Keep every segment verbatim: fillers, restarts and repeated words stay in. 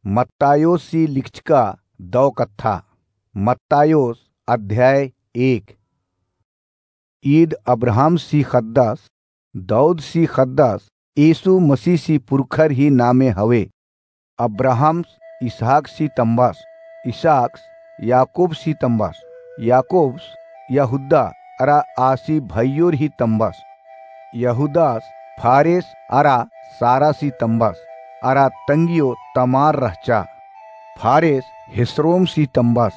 मत्तायोसी लिखचका दौ कत्था। मत्तायोस अध्याय एक। ईद अब्राहमसी ख़द्दस, दऊदसी ख़द्दस, यीशु मसीहसी पुरखर ही नामे हवे। अब्राहम्स इसहाकसी तम्बस, इसहाक्स याकूबसी तम्बस, याकूब्स यहूदा अरा आसी भइयोर ही तम्बस। यहूदास फारेस अरा सारासी तम्बस, अरा तंगियो तमार रहचा। फारेस हेस्रोमसी तम्बस,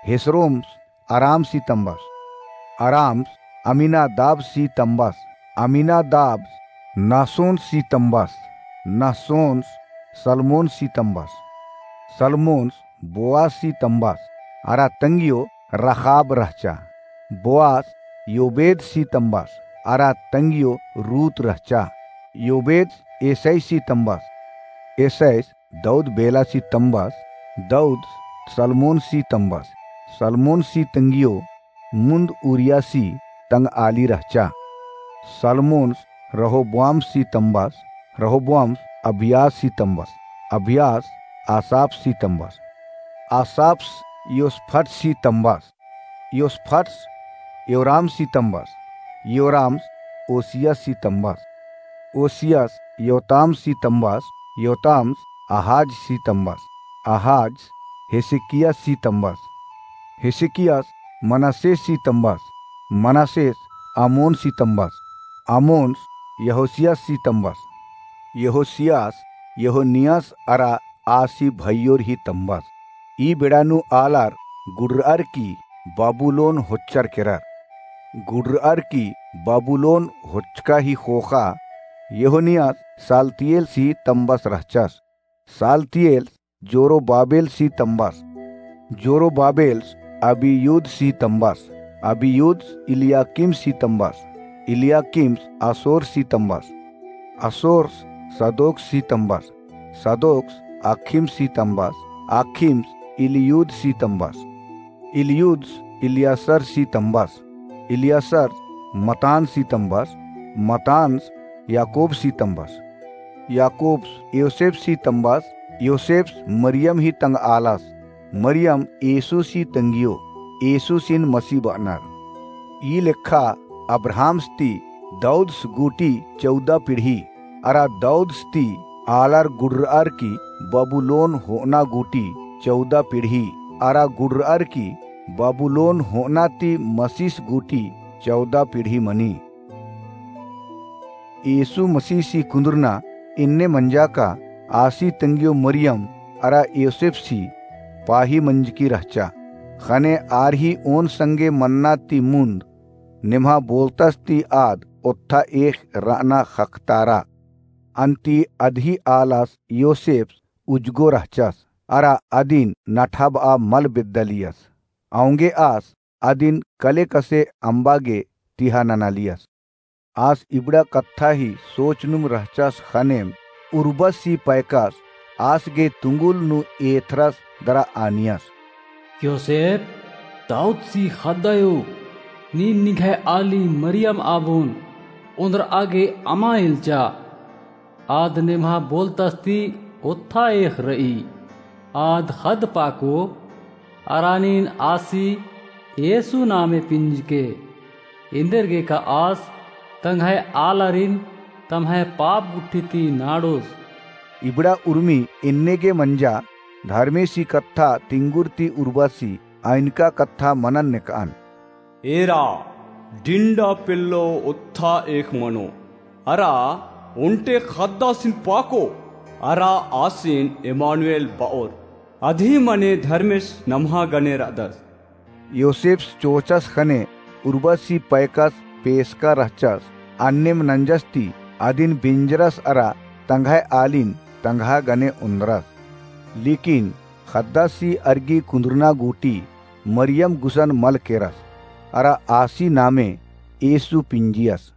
हेस्रोम्स अरामसी तम्बस, अराम्स अम्मीनादाबसी तम्बस, अम्मीनादाब्स नासोनसी तम्बस, नासोन्स सलमोनसी तम्बस, सलमोन्स बोआजसी तम्बस, अरा तंगियो रखाब रहचा। बोआज योबेदसी तम्बस, अरा तंगियो रूत रहचा। योबेद येसैसी तम्बस, येसैस दऊद बेलासी तम्बस, दऊद सलमोनसी तम्बस, सलमोनसी तंगियो मुन्द ऊरियासी तंगआली रहचा। सलमोन्स रहोबोआमसी तम्बस, रहोबोआम्स अबियासी तम्बस, अबियास आसापसी तम्बस, आसाप्स योसफटसी तम्बस, योसफट्स योरामसी तम्बस, योराम्स ओसियासी तम्बस, ओसियास योतामसी तम्बस, योताम्स आहाजसी तम्बस, आहाज हेसेकियासी तम्बस, हेसेकियास मनस्सेसी तम्बस, मनस्सेस आमोनसी तम्बस, आमोन्स यहोसियासी तम्बस, यहोसियास यहोनियास अरा आसी भइयोर ही तम्बस। ई बेड़ा नू आलर गुडरअर की बबुलोन होच्चर केरर। गुडरअर की बबुलोन होच्चका ही ख़ोख़ा यहोनियास सालतियेलसी तम्बस रहचस। सालतियेल्स जोरोबाबेलसी तम्बस। जोरोबाबेल्स अबियूदसी तम्बस। अबियूद्स इलियाकीमसी तम्बस। इलियाकीम्स असोरसी तम्बस। असोर्स सदोकसी तम्बस। सदोक्स आखिमसी तम्बस। आखिम्स इलियूदसी तम्बस। इलियूद्स इलियासरसी तम्बस। इलियासर्स मतानसी तम्बस। मतान्स याकोबसी तम्बस। याकोब्स योसेफसी तम्बस। योसेफ्स मरियम ही तंगआलस। मरियम येसूसी तंगियो। येसूसिन मसी बअनर। ई लेखा अब्राहम्स ती दऊद्स गूटी चौदह पीढ़ी, अरा दऊद्स ती आलर गुडरअर की बबुलोन होअना गूटी चौदह पीढ़ी, अरा गुडरअर की बबुलोन होअना ती मसीस गूटी चौदह पीढ़ी मनी। येसु मसीसी कुन्दुरना एन्ने मंजा का आसी तंगियो मरियम अरा योसेफसी पाही मंजकी रहचा। ख़ने आर ही ओन संगे मन्ना ती मुन्द नेम्हा बोलतस ती आद ओत्था एख़ रअना ख़क्खतारा। अन्ती अदही आलस योसेफ्स उजगो रहचस, अरा अदिन नठाबआ मल बेद्दालियस। औंगे आस अदिन कले कसे अम्बा गे तिहा ननालियस। आस इबड़ा कत्था ही सोचनुम रहचस ख़नेम उर्बसी पैकस आस गे तुंगुल नू एथरस दरा आनियस। योसेफ, दऊदसी ख़द्दायो, नीन निंग्है आली मरियम आबोन ओन्द्रआ गे अमा एल्चा। आद नेम्हा बोलतस ती ओत्था एख़ रई। आद ख़द्द पाको, अरा नीन आसी येसु नामे पिंजके। एन्देरगेका आस तंग्है आलारिन तम्है पाप गुट्ठी ती नाड़ोस। इबड़ा उर्मी एन्ने गे मंजा धर्मेसी कत्था तिंगुर ती उर्बासी अइनका कत्था मनन नेकअन। एरा डिंडा पेल्लो ओत्था एख़ मनो, अरा ओन्टे ख़द्दासिन पाको, अरा आसिन एमानुएल बओर, अदही मने धर्मेस नम्हा गने रअदस। योसेफ्स चोचस ख़ने उर्बासी पैकस पेसका रहचस, अन्नेम नंजस ती अदिन बिंजरस अरा तंग्है आलिन तंग्हा गने ओन्द्रस। लेकिन ख़द्दासी अरगी कुन्दुरना गूटी मरियम गुसन मल केरस, अरा आसी नामे येसु पिंजियस।